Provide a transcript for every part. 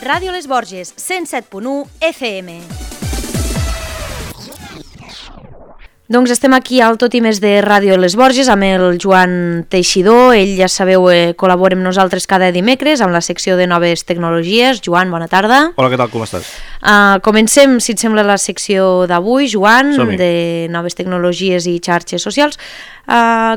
Ràdio Les Borges, 107.1 FM. Doncs estem aquí al Tot i Més de Ràdio Les Borges amb el Joan Teixidor. Ell, ja sabeu, col·labora amb nosaltres cada dimecres amb la secció de noves tecnologies. Joan, bona tarda. Hola, què tal, com estàs? Comencem, si et sembla, la secció d'avui, Joan, de noves tecnologies i xarxes socials.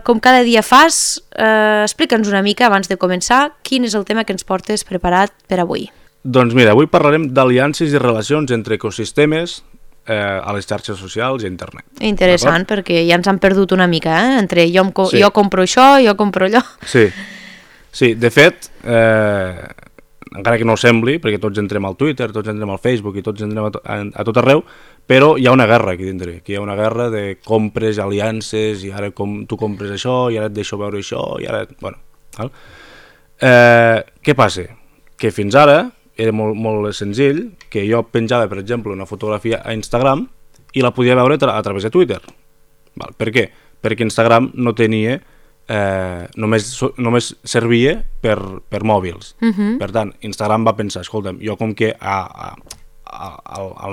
Com cada dia fas, explica'ns una mica, abans de començar, quin és el tema que ens portes preparat per avui. Doncs mira, avui parlarem d'aliances i relacions entre ecosistemes a les xarxes socials i a internet. Interessant, perquè ja ens han perdut una mica, entre jo compro això, jo compro allò. Sí, de fet, encara que no ho sembli, perquè tots entrem al Twitter, tots entrem al Facebook i tots entrem a tot arreu, però hi ha una guerra aquí dintre, hi ha una guerra de compres, aliances, i ara tu compres això, i ara et deixo veure això, i ara... Bueno, què passa? Que fins ara era molt senzill, que jo penjava, per exemple, una fotografia a Instagram i la podia veure a través de Twitter. Per què? Perquè Instagram no tenia... només servia per mòbils. Per tant, Instagram va pensar, escolta'm, jo com que al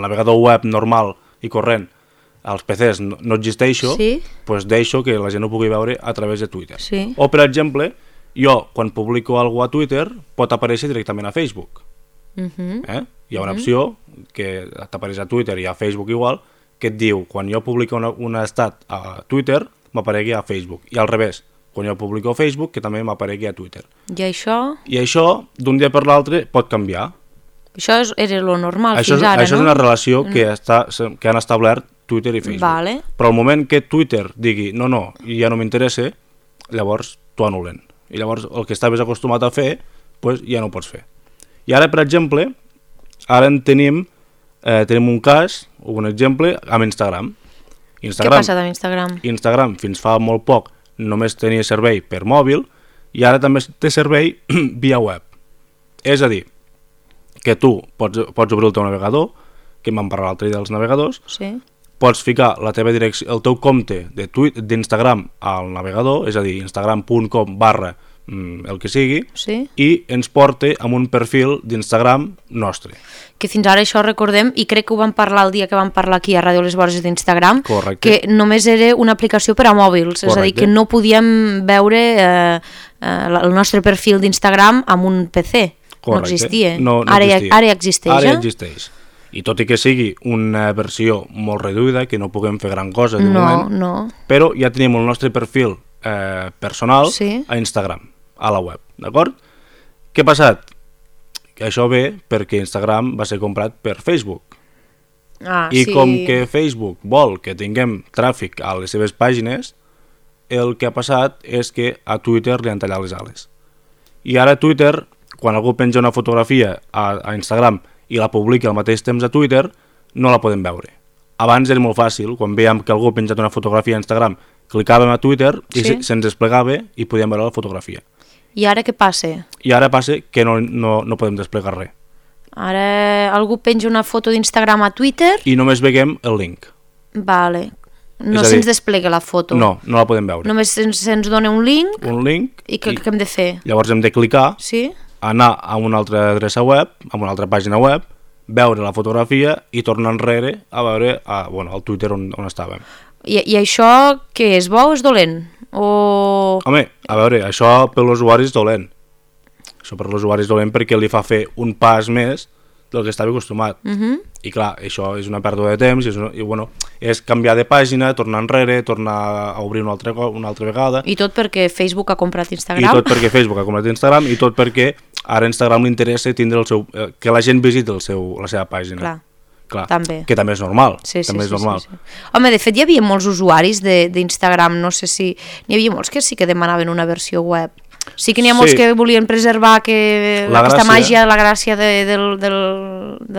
navegador web normal i corrent als PCs no existeixo, doncs deixo que la gent ho pugui veure a través de Twitter. O, per exemple, jo, quan publico alguna cosa a Twitter, pot aparèixer directament a Facebook. Hi ha una opció que t'apareix a Twitter i a Facebook igual, que et diu, quan jo publico un estat a Twitter, m'aparegui a Facebook, i al revés, quan jo publico a Facebook, que també m'aparegui a Twitter. I això? I això, d'un dia per l'altre, pot canviar. Això era lo normal fins ara, no? Això és una relació que han establert Twitter i Facebook. Però al moment que Twitter digui, no, ja no m'interessa, llavors t'ho anulen. I llavors el que estaves acostumat a fer, ja no ho pots fer. I ara, per exemple, tenim un cas, un exemple, amb Instagram. Què passa amb Instagram? Instagram, fins fa molt poc, només tenia servei per mòbil, i ara també té servei via web. És a dir, que tu pots obrir el teu navegador, que em van parlar l'altre dia dels navegadors, pots ficar la teva direcció, el teu compte d'Instagram al navegador, és a dir, instagram.com/ el que sigui, i ens porta amb un perfil d'Instagram nostre. Que fins ara això recordem, i crec que ho vam parlar el dia que vam parlar aquí a Ràdio Les Borges d'Instagram, que només era una aplicació per a mòbils, és a dir, que no podíem veure el nostre perfil d'Instagram amb un PC, no existia. Ara existeix, Ara existeix. I tot i que sigui una versió molt reduïda, que no puguem fer gran cosa de moment, però ja tenim el nostre perfil personal a Instagram, a la web, d'acord? Què ha passat? Que això ve perquè Instagram va ser comprat per Facebook. Com que Facebook vol que tinguem tràfic a les seves pàgines, el que ha passat és que a Twitter li han tallat les ales. I ara Twitter, quan algú penja una fotografia a Instagram i la publica al mateix temps a Twitter, no la podem veure. Abans era molt fàcil, quan veiem que algú ha penjat una fotografia a Instagram, clicàvem a Twitter i se'ns desplegava i podíem veure la fotografia. I ara què passa? I ara passa que no podem desplegar res. Ara algú penja una foto d'Instagram a Twitter i només veiem el link. Vale. No se'ns desplega la foto. No la podem veure. Només se'ns dona un link. I què hem de fer? Llavors hem de clicar, anar a una altra adreça web, a una altra pàgina web, veure la fotografia i tornar enrere a veure al Twitter on estàvem. I això què és? Bo o és dolent? Home, a veure, això per l'usuari és dolent. Això per l'usuari és dolent perquè li fa fer un pas més del que estava acostumat. I clar, això és una pèrdua de temps, és canviar de pàgina, tornar enrere, tornar a obrir una altra vegada. I tot perquè Facebook ha comprat Instagram? I tot perquè Facebook ha comprat Instagram i tot perquè ara a Instagram li interessa tindre que la gent visiti la seva pàgina. Clar, que també és normal. Sí. Home, de fet hi havia molts usuaris d'Instagram, no sé si... N'hi havia molts que sí que demanaven una versió web. Sí que n'hi ha molts que volien preservar aquesta màgia, la gràcia de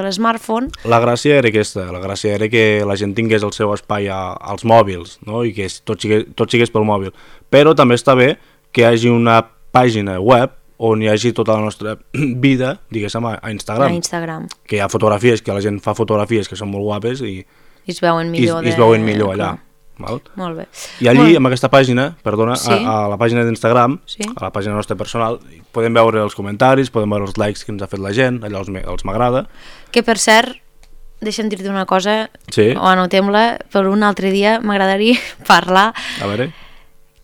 l'smartphone. La gràcia era aquesta, la gràcia era que la gent tingués el seu espai als mòbils, no? I que tot sigués pel mòbil. Però també està bé que hi hagi una pàgina web on hi hagi tota la nostra vida, diguéssim, a Instagram. Que hi ha fotografies, que la gent fa fotografies que són molt guapes i es veuen millor allà. Val? Molt bé. I allí, en aquesta pàgina, perdona, a la pàgina d'Instagram, a la pàgina nostra personal, podem veure els comentaris, podem veure els likes que ens ha fet la gent, allò els m'agrada. Que, per cert, deixa'm dir-te una cosa, o anotem-la, per un altre dia m'agradaria parlar. A veure...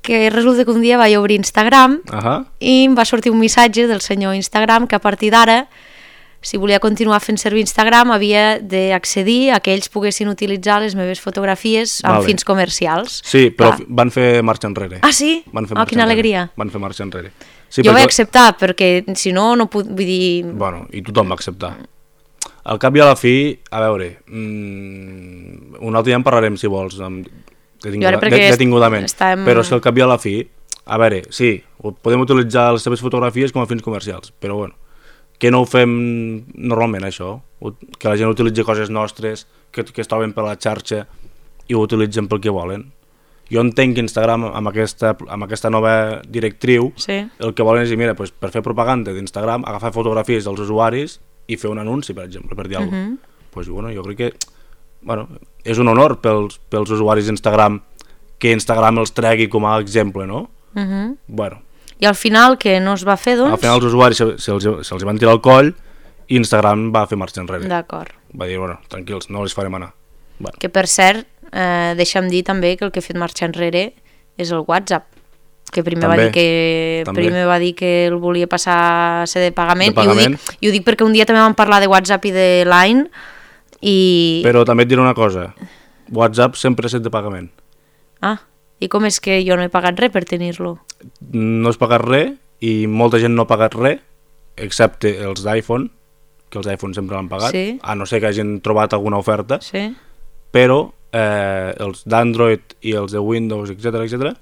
que resulta que un dia vaig obrir Instagram i em va sortir un missatge del senyor Instagram que a partir d'ara, si volia continuar fent servir Instagram, havia d'accedir a que ells poguessin utilitzar les meves fotografies amb fins comercials. Sí, però van fer marxa enrere. Ah, sí? Quina alegria. Van fer marxa enrere. Jo vaig acceptar, perquè si no, no puc... Vull dir... Bueno, i tothom va acceptar. Al cap i a la fi, a veure, un altre dia en parlarem, si vols, detingudament, però si al cap i a la fi, a veure, sí, podem utilitzar les seves fotografies com a fins comercials, però bueno, que no ho fem normalment això, que la gent utilitzi coses nostres que es troben per la xarxa i ho utilitzen pel que volen. Jo entenc que Instagram, amb aquesta nova directriu, el que volen és dir, mira, per fer propaganda d'Instagram, agafar fotografies dels usuaris i fer un anunci, per exemple, per dir alguna cosa. Doncs bueno, jo crec que és un honor pels usuaris d'Instagram que Instagram els tregui com a exemple, no? Bueno. I al final, què no es va fer, doncs? Al final els usuaris se'ls van tirar al coll i Instagram va fer marxa enrere. D'acord. Va dir, bueno, tranquils, no les farem anar. Que per cert, deixa'm dir també que el que ha fet marxa enrere és el WhatsApp, que primer va dir que el volia passar a ser de pagament. I ho dic perquè un dia també vam parlar de WhatsApp i de Line i... Però també et diré una cosa, WhatsApp sempre ha estat de pagament. Ah, i com és que jo no he pagat res per tenir-lo? No has pagat res i molta gent no ha pagat res, excepte els d'iPhone, que els d'iPhone sempre l'han pagat, a no ser que hagin trobat alguna oferta, però els d'Android i els de Windows, etc.,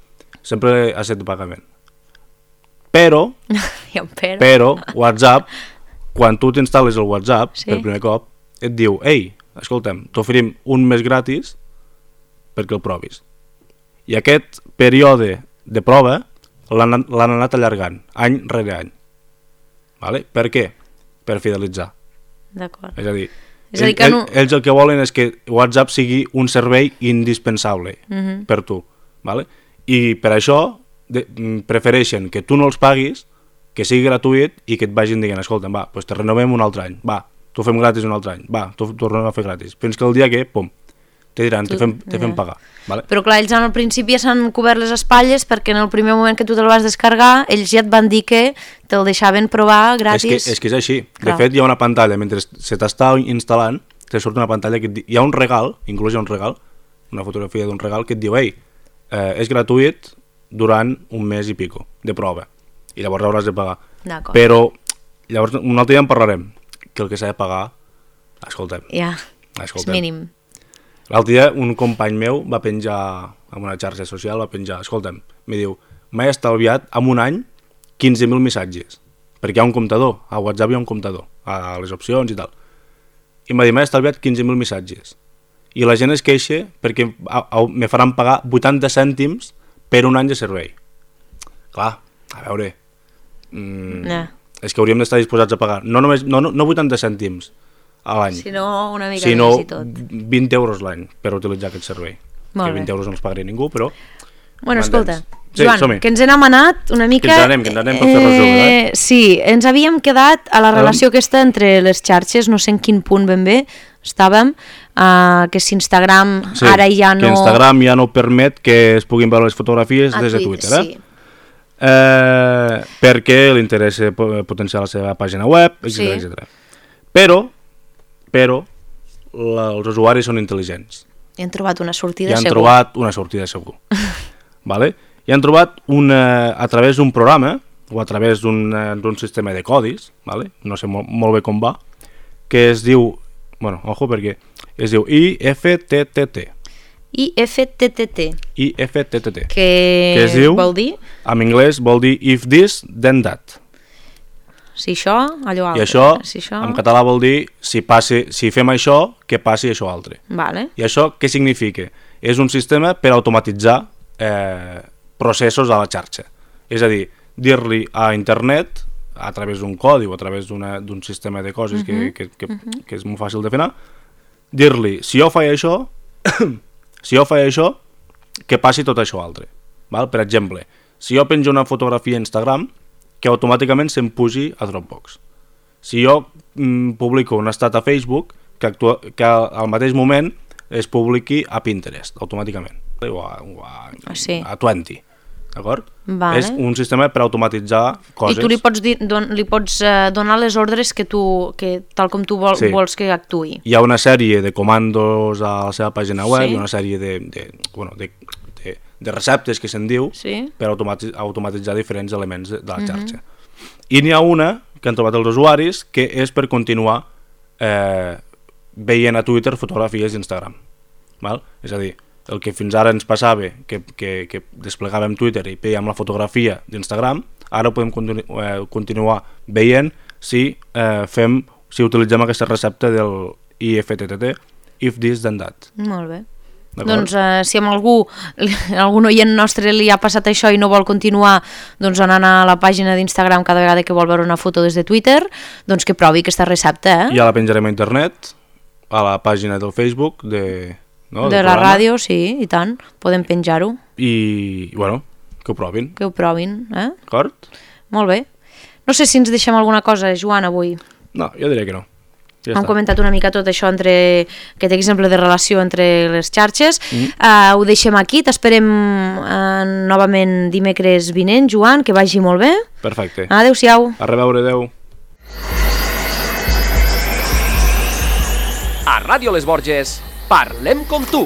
sempre ha estat de pagament. Però WhatsApp, quan tu t'instal·les el WhatsApp per primer cop, et diu, ei, escolta'm, t'oferim un mes gratis perquè el provis. I aquest període de prova l'han anat allargant, any rere any. Per què? Per fidelitzar. D'acord. És a dir, ells el que volen és que WhatsApp sigui un servei indispensable per tu. I per això prefereixen que tu no els paguis, que sigui gratuït i que et vagin dient, escolta, va, doncs te renovem un altre any, va, t'ho fem gratis un altre any, va, t'ho tornem a fer gratis, fins que el dia que, pum, te diran, te fem pagar. Però clar, ells al principi ja s'han cobert les espatlles perquè en el primer moment que tu te'l vas descarregar, ells ja et van dir que te'l deixaven provar gratis. És que és així. De fet, hi ha una pantalla, mentre se t'està instal·lant, te surt una pantalla que hi ha un regal, inclús hi ha un regal, una fotografia d'un regal que et diu, ei, és gratuït durant un mes i pico de prova, i llavors hauràs de pagar. Però llavors un altre dia en parlarem, que el que s'ha de pagar, escolta'm. És mínim. L'altre dia un company meu va penjar en una xarxa social, escolta'm, me diu, m'he estalviat en un any 15.000 missatges, perquè hi ha un comptador, a WhatsApp hi ha un comptador, a les opcions i tal. I em va dir, m'he estalviat 15.000 missatges. I la gent es queixa perquè me faran pagar 80 cèntims per un any de servei. Clar, a veure, és que hauríem d'estar disposats a pagar, no 80 cèntims a l'any, sinó una mica més i tot. 20 euros l'any per utilitzar aquest servei. Que 20 euros no els pagaria ningú, però... Bueno, escolta, Joan, que ens n'hem anat una mica... Que ens anem per fer resum, Sí, ens havíem quedat a la relació aquesta entre les xarxes, no sé en quin punt ben bé estàvem, que si Instagram ara ja no... que Instagram ja no permet que es puguin veure les fotografies des de Twitter, sí. Perquè li interessa potenciar la seva pàgina web, etc. Però els usuaris són intel·ligents. I han trobat una sortida segur. I han trobat una sortida segur. I han trobat a través d'un programa o a través d'un sistema de codis, no sé molt bé com va, que es diu, bueno, ojo perquè es diu IFTTT. IFTTT. Que es diu, vol dir? En anglès vol dir if this, then that. Si això, allò altre. I això, en català vol dir si fem això, que passi això altre. I això què significa? És un sistema per automatitzar processos a la xarxa. És a dir, dir-li a internet, a través d'un codi o a través d'un sistema de coses que és molt fàcil de fer anar, dir-li, si jo faig això, que passi tot això altre. Val? Per exemple, si jo penjo una fotografia a Instagram, que automàticament se'm pugi a Dropbox. Si jo publico un estat a Facebook, que al mateix moment es publiqui a Pinterest, automàticament, o a 20, d'acord? Vale. És un sistema per automatitzar coses. I tu li pots donar les ordres que tal com tu vols que actuï. Hi ha una sèrie de comandos a la seva pàgina web, hi ha una sèrie de receptes, que se'n diu, per automatitzar diferents elements de la xarxa. I n'hi ha una que han trobat els usuaris que és per continuar veient a Twitter fotografies d'Instagram. És a dir, el que fins ara ens passava, que desplegàvem Twitter i veiem la fotografia d'Instagram, ara ho podem continuar veient si utilitzem aquesta recepta del IFTTT, if this then that. Molt bé. Doncs si amb algun oient nostre li ha passat això i no vol continuar anant a la pàgina d'Instagram cada vegada que vol veure una foto des de Twitter, doncs que provi aquesta recepta. Ja la penjarem a internet, a la pàgina del Facebook de la ràdio, sí, i tant, podem penjar-ho. I, bueno, que ho provin. Que ho provin, D'acord? Molt bé. No sé si ens deixem alguna cosa, Joan, avui. No, jo diria que no. Hem comentat una mica tot això, aquest exemple de relació entre les xarxes. Ho deixem aquí, t'esperem novament dimecres vinent, Joan, que vagi molt bé. Perfecte. Adéu-siau. A reveure, adéu. A Ràdio Les Borges, parlem com tu.